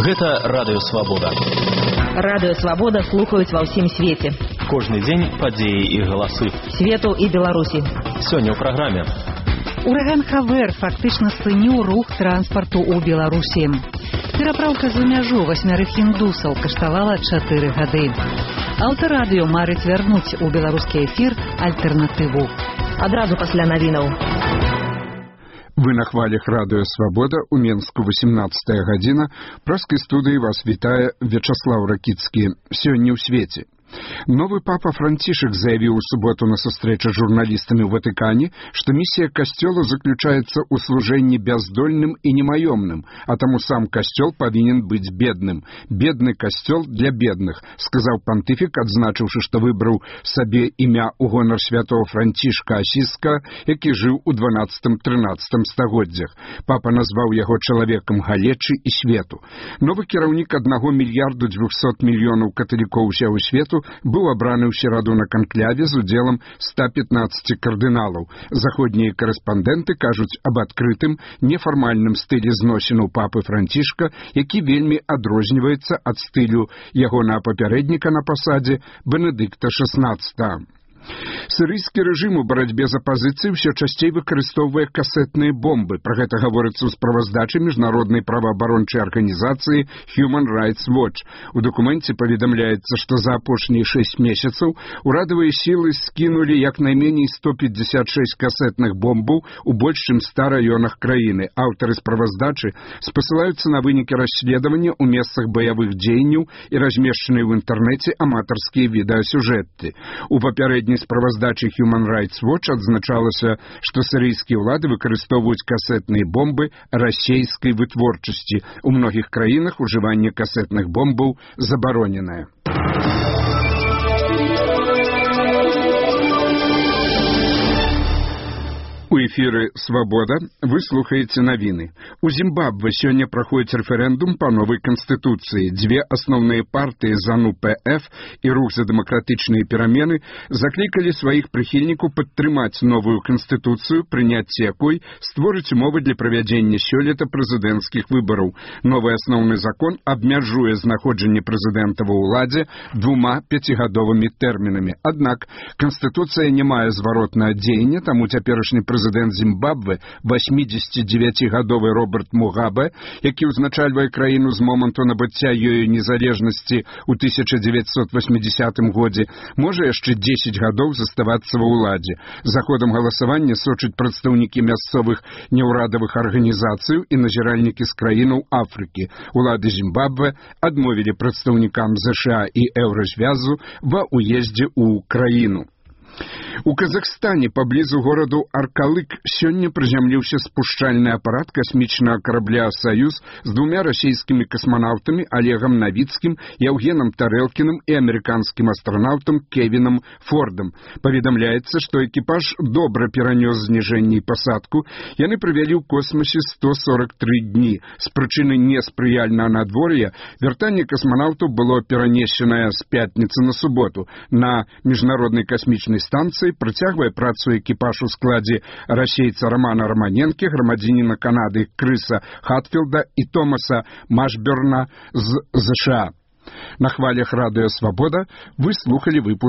Гэта Радыё Свабода. Радыё Свабода слухаюць ва ўсім свеце. Кожны дзень падзеі і галасы Свету і Беларусі. Сёння ў праграме. Ураган Хавер фактычна спыніў рух транспарту ў Беларусі. Перапраўка за мяжу 8 індусаў каштавала 4 гады. Аўтарадыё марыць вярнуць у беларускі эфір альтэрнатыву. Адразу пасля навінаў. Вы на хвалях Радыё Свабода, у Менску 18 гадзіна. Праскай студыі вас вітае Вячаслаў Ракіцкі. Сёння ў свеце. Новы папа Францішак заявіў у суботу на сустрэчы з журналістамі ў Ватыкане, што місія касцёла заключаецца ў служэнні бяздольным і немаёмным, а таму сам касцёл павінен быць бедным. Бедны касцёл для бедных, сказаў пантыфік, адзначыўшы, што выбраў сабе імя ў гонар святого Францішка Асіска, які жыў у 12-13 стагоддзях. Папа назваў яго чалавекам галечы і свету. Новы кіраўнік 1 мільярду 200 мільёнаў каталікоў усяго свету быў абраны ў сераду на канкляве з удзелам 115 кардыналаў. Заходнія карэспандэнты кажуць аб адкрытым, нефармальным стылі зносінаў папы Францішка, які вельмі адрозніваецца ад стылю ягонага папярэдніка на пасадзе Бенедыкта XVI. Сірыйскі рэжым у барацьбе з апазіцыяй усё часцей выкарыстоўвае касетныя бомбы. Пра гэта гаворыцца ў справаздачы міжнароднай праваабарончай арганізацыі Human Rights Watch. У дакуменце паведамляецца, што за апошнія 6 месяцаў урадавыя сілы скінулі як найменей 156 касетных бомбаў у больш чым 100 раёнах краіны. Аўтары справаздачы спасылаюцца на вынікі расследавання ў месцах баявых дзеянняў і размешчаныя ў інтэрнэце аматарскія відэасюжэты. У папярэдняй справаздачы Human Rights Watch адзначалася, што сірыйскія ўлады выкарыстоўваюць касетныя бомбы расейскай вытворчасці. У многіх краінах ужыванне касетных бомбаў забароненае. У эфіры «Свабода» вы слухаеце навіны. У Зімбабве сёння праходзіць рэферэндум па новай канстытуцыі. Дзве асноўныя партыі ЗАНУ-ПФ і рух за дэмакратычныя перамены заклікалі сваіх прыхільнікаў падтрымаць новую канстытуцыю, прыняцце якой створыць умовы для правядзення сёлета прэзідэнцкіх выбараў. Новы асноўны закон абмяжуе знаходжанне прэзідэнта ва ўладзе 2 5гадовымі тэрмінамі. Аднак канстытуцыя не мае зваротнага дзеяння, таму цяперашні прэзідэнт Зімбабве, 89гадовы Роберт Мугабе, які ўзначальвае краіну з моманту набыцця ёю незалежнасці ў 1980 годзе, можа яшчэ 10 гадоў заставацца ва ўладзе. За ходам галасавання сочаць прадстаўнікі мясцовых неўрадавых арганізацый і назіральнікі з краінаў Афрыкі. Улады Зімбабве адмовілі прадстаўнікам ЗША і Еўразвязу ва ўездзе ў краіну. У Казахстане паблізу гораду Аркалык сёння прызямліўся спушчальны апарат касмічнага карабля «Саюз» з 2 расійскімі касманаўтамі Олегам Навіцкім, Яўгенам Тарэлкіным і амерыканскім астранаўтам Кевінам Фордам. Паведамляецца, што экіпаж добра перанёс зніжэнне і пасадку. Яны правялі ў космосе 143 дні. З прычыны неспрыяльнага надвор'я вяртанне касманаўтаў было перанесенае з пятніцы на суботу. На міжнароднай касмічнай станцыі працягвае працу экіпаж у складзе расейца Романа Романенкі, грамадзяніна Канады Крыса Хатфілда і Томаса Машберна з ЗША. На хвалях Радыё Свабода вы слухалі выпуск